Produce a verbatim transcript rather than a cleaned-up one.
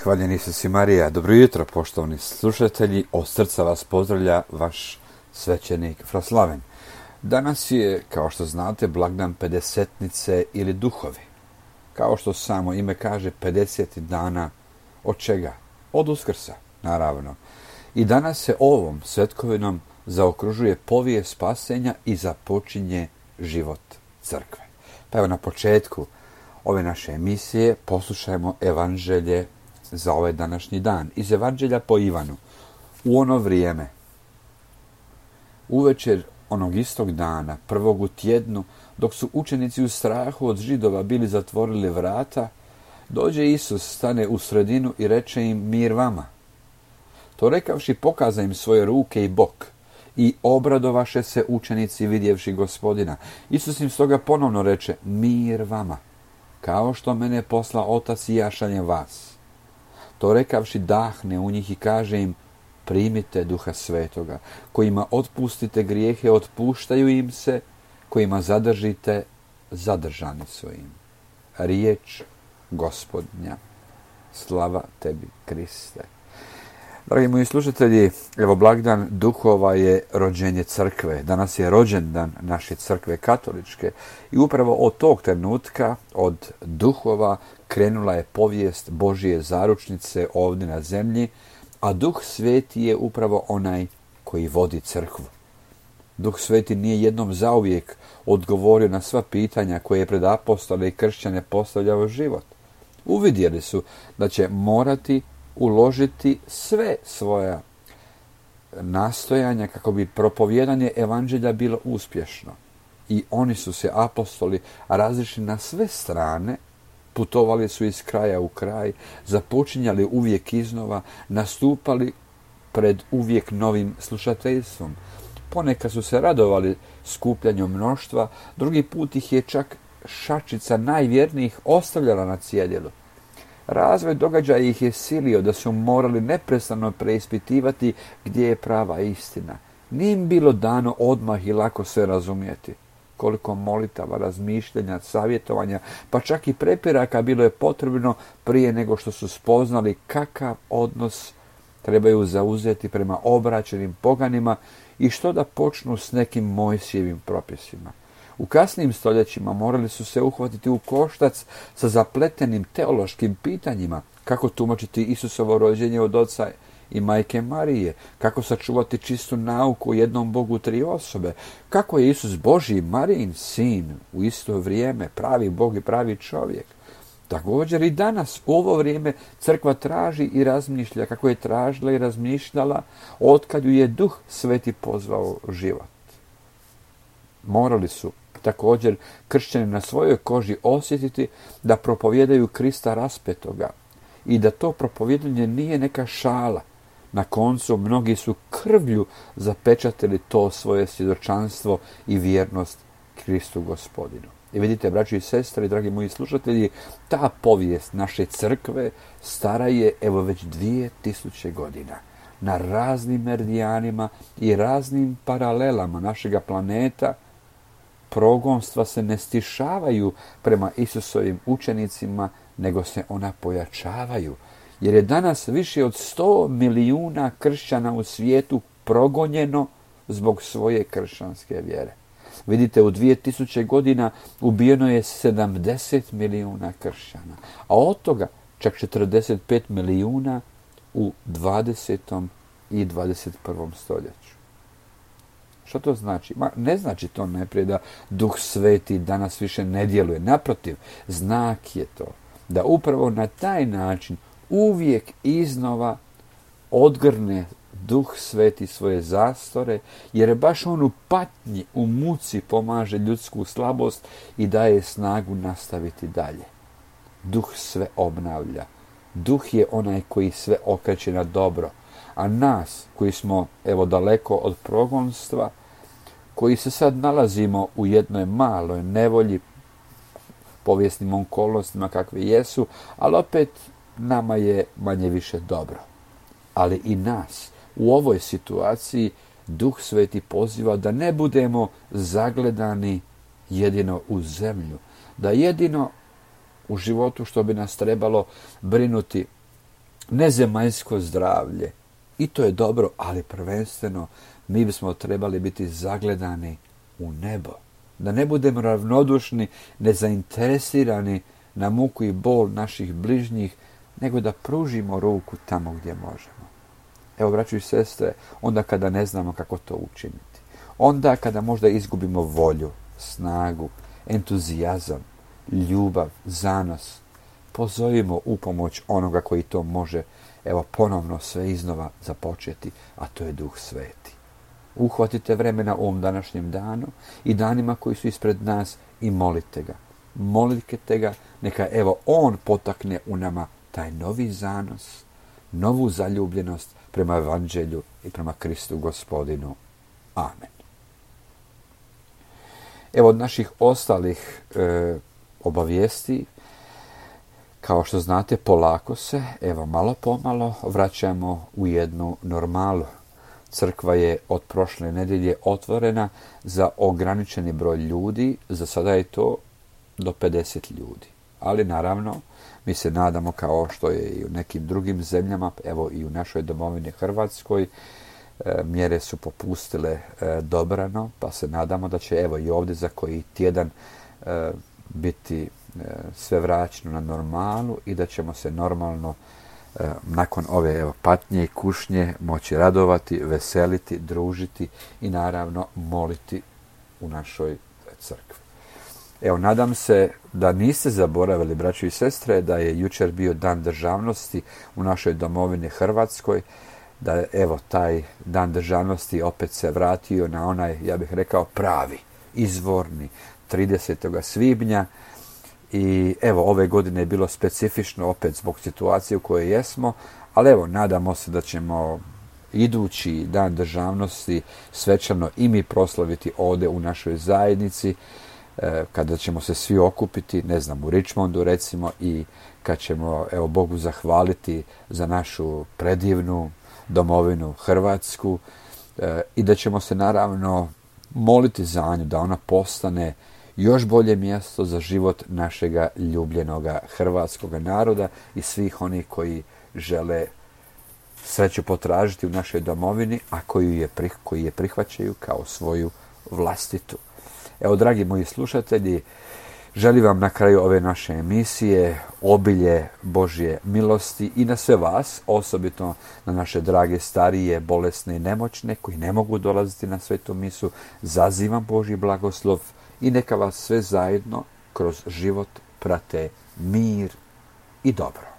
Hvaljen Isus i Marija. Dobro jutro, poštovani slušatelji. Od srca vas pozdravlja vaš svećenik Fraslaven. Danas je, kao što znate, blagdan pedesetnice ili duhovi. Kao što samo ime kaže, pedeset dana od čega? Od Uskrsa, naravno. I danas se ovom svetkovinom zaokružuje povijest spasenja i započinje život crkve. Pa evo na početku ove naše emisije poslušajmo evanđelje za ovaj današnji dan. Iz evanđelja po Ivanu. U ono vrijeme, uvečer onog istog dana, prvog u tjednu, dok su učenici u strahu od Židova bili zatvorili vrata, dođe Isus, stane u sredinu i reče im: mir vama. To rekavši, pokaza im svoje ruke i bok. I obradovaše se učenici vidjevši Gospodina. Isus im stoga ponovno reče: mir vama. Kao što mene posla Otac i ja šaljem vas. To rekavši, dahne u njih i kaže im: primite Duha Svetoga. Kojima otpustite grijehe, otpuštaju im se. Kojima zadržite, zadržani su im. Riječ Gospodnja. Slava tebi, Kriste. Dragi moji slušatelji, evo blagdan duhova je rođenje crkve. Danas je rođendan naše crkve katoličke i upravo od tog trenutka, od duhova, krenula je povijest Božje zaručnice ovdje na zemlji, a Duh Sveti je upravo onaj koji vodi crkvu. Duh Sveti nije jednom zauvijek odgovorio na sva pitanja koje je pred apostole i kršćane postavljao život. Uvidjeli su da će morati uložiti sve svoja nastojanja kako bi propovijedanje evanđelja bilo uspješno. I oni su se, apostoli, razišli na sve strane, putovali su iz kraja u kraj, započinjali uvijek iznova, nastupali pred uvijek novim slušateljstvom. Ponekad su se radovali skupljanju mnoštva, drugi put ih je čak šačica najvjernijih ostavljala na cjedilu. Razvoj događaja ih je silio da su morali neprestano preispitivati gdje je prava istina. Nije im bilo dano odmah i lako sve razumjeti. Koliko molitava, razmišljanja, savjetovanja, pa čak i prepiraka bilo je potrebno prije nego što su spoznali kakav odnos trebaju zauzeti prema obraćenim poganima i što da počnu s nekim Mojsijevim propisima. U kasnijim stoljećima morali su se uhvatiti u koštac sa zapletenim teološkim pitanjima, kako tumačiti Isusovo rođenje od oca i majke Marije, kako sačuvati čistu nauku o jednom Bogu tri osobe, kako je Isus Božji Marijin sin u isto vrijeme, pravi Bog i pravi čovjek. Također i danas u ovo vrijeme crkva traži i razmišlja kako je tražila i razmišljala otkad ju je Duh Sveti pozvao život. Morali su također kršćani na svojoj koži osjetiti da propovijedaju Krista raspetoga i da to propovijedanje nije neka šala. Na koncu mnogi su krvlju zapečatili to svoje svjedočanstvo i vjernost Kristu Gospodinu. I vidite, braći i sestre, dragi moji slušatelji, ta povijest naše crkve stara je evo već dvije tisuće godina. Na raznim meridijanima i raznim paralelama našega planeta progonstva se ne stišavaju prema Isusovim učenicima, nego se ona pojačavaju. Jer je danas više od sto milijuna kršćana u svijetu progonjeno zbog svoje kršćanske vjere. Vidite, u dvije tisuće godina ubijeno je sedamdeset milijuna kršćana, a od toga čak četrdeset pet milijuna u dvadesetom i dvadeset prvom stoljeću. Što to znači? Ma, ne znači to najprije da Duh Sveti danas više ne djeluje. Naprotiv, znak je to da upravo na taj način uvijek iznova odgrne Duh Sveti svoje zastore, jer baš on u patnji, u muci pomaže ljudsku slabost i daje snagu nastaviti dalje. Duh sve obnavlja. Duh je onaj koji sve okreće na dobro. A nas, koji smo evo daleko od progonstva, koji se sad nalazimo u jednoj maloj nevolji, povijesnim okolnostima kakve jesu, ali opet nama je manje više dobro. Ali i nas u ovoj situaciji Duh Sveti poziva da ne budemo zagledani jedino u zemlju, da jedino u životu što bi nas trebalo brinuti nezemaljsko zdravlje. I to je dobro, ali prvenstveno mi bismo trebali biti zagledani u nebo. Da ne budemo ravnodušni, nezainteresirani na muku i bol naših bližnjih, nego da pružimo ruku tamo gdje možemo. Evo, braćo i sestre, onda kada ne znamo kako to učiniti. Onda kada možda izgubimo volju, snagu, entuzijazam, ljubav, zanos, pozovimo u pomoć onoga koji to može, evo, ponovno sve iznova započeti, a to je Duh Sveti. Uhvatite vremena u ovom današnjem danu i danima koji su ispred nas i molite ga. Molite ga, neka evo on potakne u nama taj novi zanos, novu zaljubljenost prema Evanđelju i prema Kristu Gospodinu. Amen. Evo od naših ostalih e, obavijesti, kao što znate, polako se, evo malo pomalo, vraćamo u jednu normalu. Crkva je od prošle nedjelje otvorena za ograničeni broj ljudi, za sada je to do pedeset ljudi. Ali naravno, mi se nadamo, kao što je i u nekim drugim zemljama, evo i u našoj domovini Hrvatskoj, e, mjere su popustile e, dobrano, pa se nadamo da će evo i ovdje za koji tjedan e, biti e, sve vraćeno na normalu i da ćemo se normalno e, nakon ove evo, patnje i kušnje moći radovati, veseliti, družiti i naravno moliti u našoj crkvi. Evo, nadam se da niste zaboravili, braćo i sestre, da je jučer bio Dan državnosti u našoj domovini Hrvatskoj, da je, evo, taj Dan državnosti opet se vratio na onaj, ja bih rekao, pravi, izvorni, tridesetog svibnja. I evo, ove godine je bilo specifično opet zbog situacije u kojoj jesmo, ali evo, nadamo se da ćemo idući Dan državnosti svečano i mi proslaviti ovdje u našoj zajednici, kada ćemo se svi okupiti, ne znam, u Richmondu recimo, i kad ćemo, evo, Bogu zahvaliti za našu predivnu domovinu Hrvatsku e, i da ćemo se naravno moliti za nju, da ona postane još bolje mjesto za život našega ljubljenoga hrvatskog naroda i svih onih koji žele sreću potražiti u našoj domovini, a koji je, koji je prihvaćaju kao svoju vlastitu. Evo, dragi moji slušatelji, želim vam na kraju ove naše emisije obilje Božje milosti i na sve vas, osobito na naše drage starije, bolesne i nemoćne koji ne mogu dolaziti na svetu misu. Zazivam Božji blagoslov i neka vas sve zajedno kroz život prate mir i dobro.